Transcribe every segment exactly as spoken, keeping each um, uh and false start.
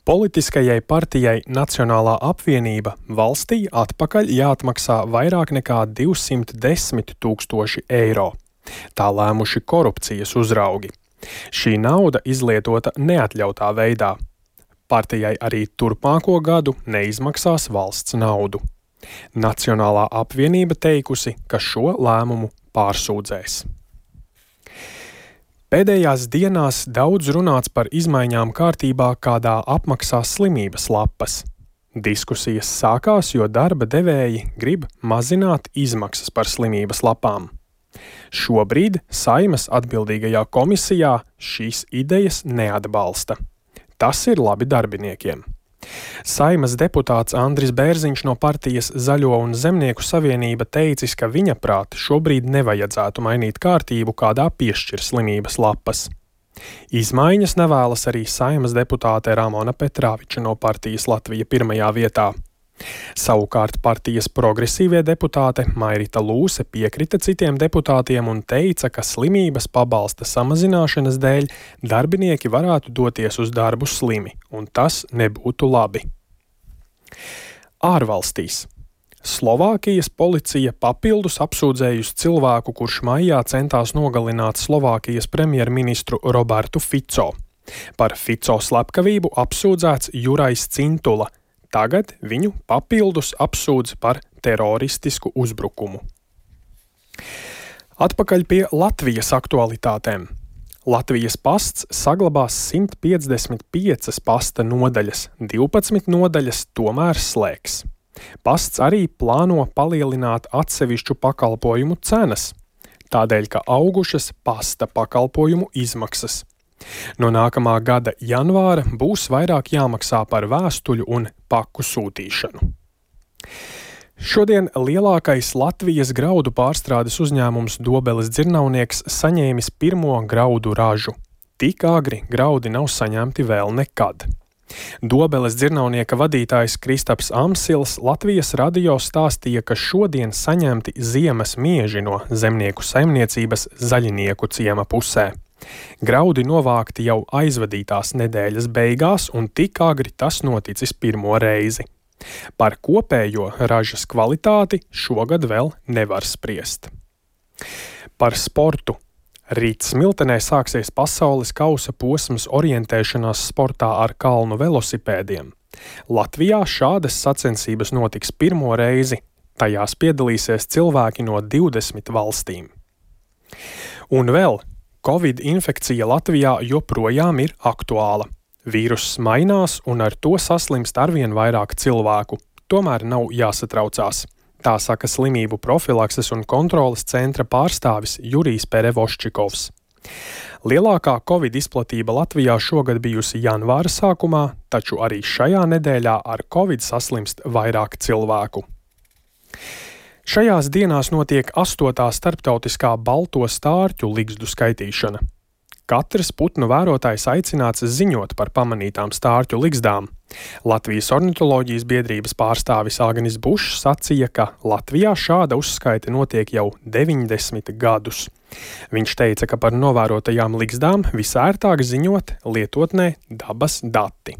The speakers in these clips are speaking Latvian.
Politiskajai partijai Nacionālā apvienība valstī atpakaļ jāatmaksā vairāk nekā divsimt desmit tūkstoši eiro. Tā lēmuši korupcijas uzraugi. Šī nauda izlietota neatļautā veidā. Partijai arī turpmāko gadu neizmaksās valsts naudu. Nacionālā apvienība teikusi, ka šo lēmumu pārsūdzēs. Pēdējās dienās daudz runāts par izmaiņām kārtībā, kādā apmaksās slimības lapas. Diskusijas sākās, jo darba devēji grib mazināt izmaksas par slimības lapām. Šobrīd Saeimas atbildīgajā komisijā šīs idejas neatbalsta. Tas ir labi darbiniekiem. Saeimas deputāts Andris Bērziņš no partijas Zaļo un Zemnieku savienība teicis, ka viņa prāt šobrīd nevajadzētu mainīt kārtību, kādā piešķir slimības lapas. Izmaiņas nevēlas arī Saeimas deputāte Ramona Petrāviča no partijas Latvija pirmajā vietā. Savukārt partijas progresīvie deputāte Mairita Lūse piekrita citiem deputātiem un teica, ka slimības pabalsta samazināšanas dēļ darbinieki varētu doties uz darbu slimi, un tas nebūtu labi. Ārvalstīs. Slovākijas policija papildus apsūdzējusi cilvēku, kurš maijā centās nogalināt Slovākijas premjerministru Robertu Fico. Par Fico slepkavību apsūdzēts Jurais Cintula. Tagad viņu papildus apsūdz par teroristisku uzbrukumu. Atpakaļ pie Latvijas aktualitātēm. Latvijas pasts saglabās simt piecdesmit piecas pasta nodaļas, divpadsmit nodaļas tomēr slēgs. Pasts arī plāno palielināt atsevišķu pakalpojumu cenas, tādēļ, ka augušas pasta pakalpojumu izmaksas. No nākamā gada janvāra būs vairāk jāmaksā par vēstuļu un paku sūtīšanu. Šodien lielākais Latvijas graudu pārstrādes uzņēmums Dobeles dzirnavnieks saņēmis pirmo graudu ražu. Tik agri graudi nav saņemti vēl nekad. Dobeles dzirnavnieka vadītājs Kristaps Amsils Latvijas radio stāstīja, ka šodien saņemti ziemas mieži no zemnieku saimniecības Zaļinieku ciema pusē. Graudi novākti jau aizvadītās nedēļas beigās, un tik agri tas noticis pirmo reizi. Par kopējo ražas kvalitāti šogad vēl nevar spriest. Par sportu. Rīt Smiltenē sāksies pasaules kausa posms orientēšanās sportā ar kalnu velosipēdiem. Latvijā šādas sacensības notiks pirmo reizi. Tajās piedalīsies cilvēki no divdesmit valstīm. Un vēl Covid infekcija Latvijā joprojām ir aktuāla. Vīruss mainās un ar to saslimst arvien vairāk cilvēku. Tomēr nav jāsatraucās. Tā saka slimību profilakses un kontroles centra pārstāvis Jurijs Perevoščikovs. Lielākā Covid izplatība Latvijā šogad bijusi janvāra sākumā, taču arī šajā nedēļā ar Covid saslimst vairāk cilvēku. Šajās dienās notiek astotā starptautiskā balto stārķu ligzdu skaitīšana. Katrs putnu vērotājs aicināts ziņot par pamanītām stārķu ligzdām. Latvijas ornitoloģijas biedrības pārstāvis Agnis Bušs sacīja, ka Latvijā šāda uzskaite notiek jau deviņdesmit gadus. Viņš teica, ka par novērotajām ligzdām visērtāk ziņot lietotnē dabas dati.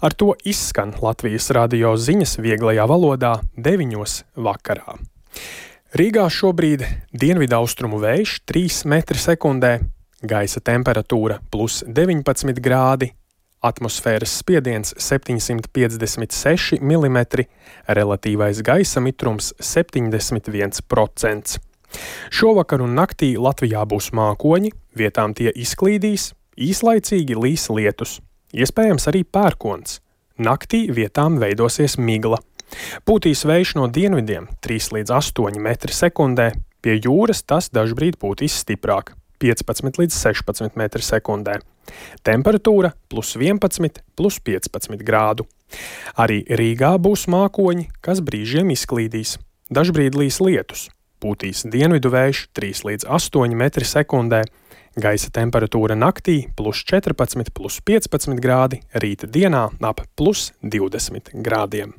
Ar to izskan Latvijas radio ziņas vieglajā valodā deviņos vakarā. Rīgā šobrīd dienvidaustrumu vējš trīs metri sekundē, gaisa temperatūra plus deviņpadsmit grādi, atmosfēras spiediens septiņsimt piecdesmit seši milimetri, relatīvais gaisa mitrums septiņdesmit viens procents. Šovakar un naktī Latvijā būs mākoņi, vietām tie izklīdīs, īslaicīgi līs lietus. Iespējams arī pērkons. Naktī vietām veidosies migla. Pūtīs vējš no dienvidiem trīs līdz astoņi metri sekundē, pie jūras tas dažbrīd pūtīs stiprāk piecpadsmit līdz sešpadsmit metri sekundē. Temperatūra plus vienpadsmit, plus piecpadsmit grādu. Arī Rīgā būs mākoņi, kas brīžiem izklīdīs. Dažbrīd līs lietus. Pūtīs dienvidu vējš trīs līdz astoņi metri sekundē. Gaisa temperatūra naktī plus četrpadsmit, plus piecpadsmit grādi, rīta dienā ap plus divdesmit grādiem.